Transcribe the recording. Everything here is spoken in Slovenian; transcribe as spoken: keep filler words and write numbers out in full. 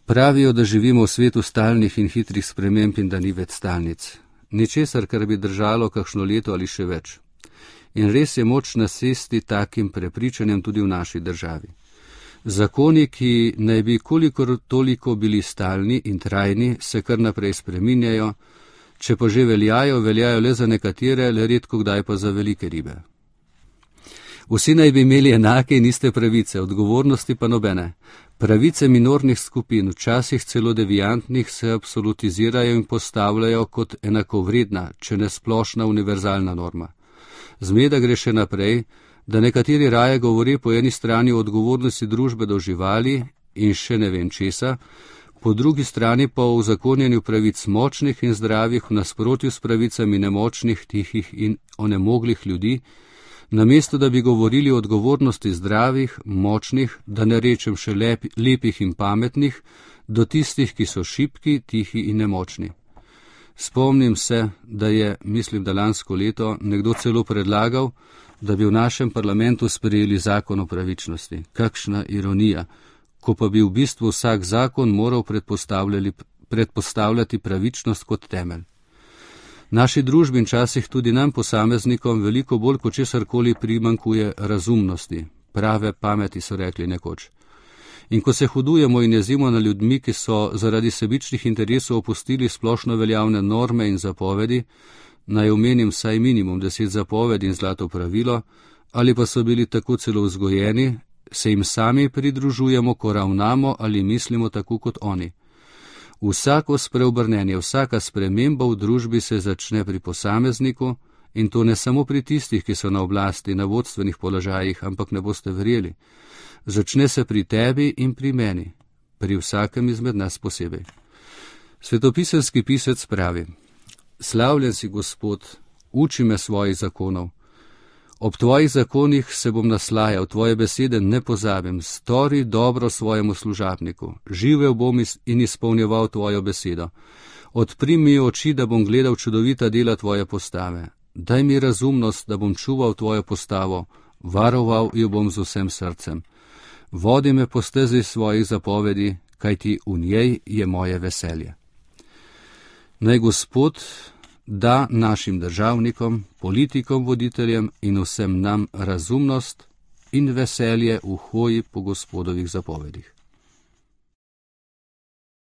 Pravijo, da živimo v svetu stalnih in hitrih sprememb in da ni več stalnic. Ničesar, kar bi držalo kakšno leto ali še več. In res je moč nasesti takim prepričanjem tudi v naši državi. Zakoni, ki naj bi kolikor toliko bili stalni in trajni, se kar naprej spreminjajo, če pa že veljajo, veljajo le za nekatere, le redko kdaj pa za velike ribe. Vsi naj bi imeli enake in iste pravice, odgovornosti pa nobene. Pravice minornih skupin, včasih celo deviantnih, se absolutizirajo in postavljajo kot enakovredna, če ne splošna univerzalna norma. Zmeda gre še naprej, da nekateri raje govori po eni strani o odgovornosti družbe do živali in še ne vem česa, po drugi strani pa o uzakonjenju pravic močnih in zdravih v nasprotju s pravicami nemočnih, tihih in onemoglih ljudi, namesto da bi govorili o odgovornosti zdravih, močnih, da ne rečem še lep, lepih in pametnih, do tistih, ki so šibki, tihi in nemočni. Spomnim se, da je, mislim, da lansko leto, nekdo celo predlagal, da bi v našem parlamentu sprejeli zakon o pravičnosti. Kakšna ironija, ko pa bi v bistvu vsak zakon moral predpostavljati pravičnost kot temelj. Naši družbi in časih tudi nam posameznikom veliko bolj kot česarkoli primankuje razumnosti, prave pameti, so rekli nekoč. In ko se hudujemo in jezimo na ljudmi, ki so zaradi sebičnih interesov opustili splošno veljavne norme in zapovedi, naj omenim vsaj minimum deset zapovedi in zlato pravilo, ali pa so bili tako celo vzgojeni, se jim sami pridružujemo, ko ravnamo ali mislimo tako kot oni. Vsako spreobrnenje, vsaka sprememba v družbi se začne pri posamezniku in to ne samo pri tistih, ki so na oblasti, na vodstvenih položajih, ampak ne boste verjeli. Začne se pri tebi in pri meni, pri vsakem izmed nas posebej. Svetopisemski pisec pravi: Slavljen si, Gospod, uči me svojih zakonov. Ob tvojih zakonih se bom naslajal, tvoje besede ne pozabim, stori dobro svojemu služabniku, živel bom in izpolnjeval tvojo besedo. Odpri mi oči, da bom gledal čudovita dela tvoje postave. Daj mi razumnost, da bom čuval tvojo postavo, varoval jo bom z vsem srcem. Vodi me po stezi svojih zapovedi, kajti v njej je moje veselje. Naj Gospod da našim državnikom, politikom, voditeljem in vsem nam razumnost in veselje v hoji po Gospodovih zapovedih.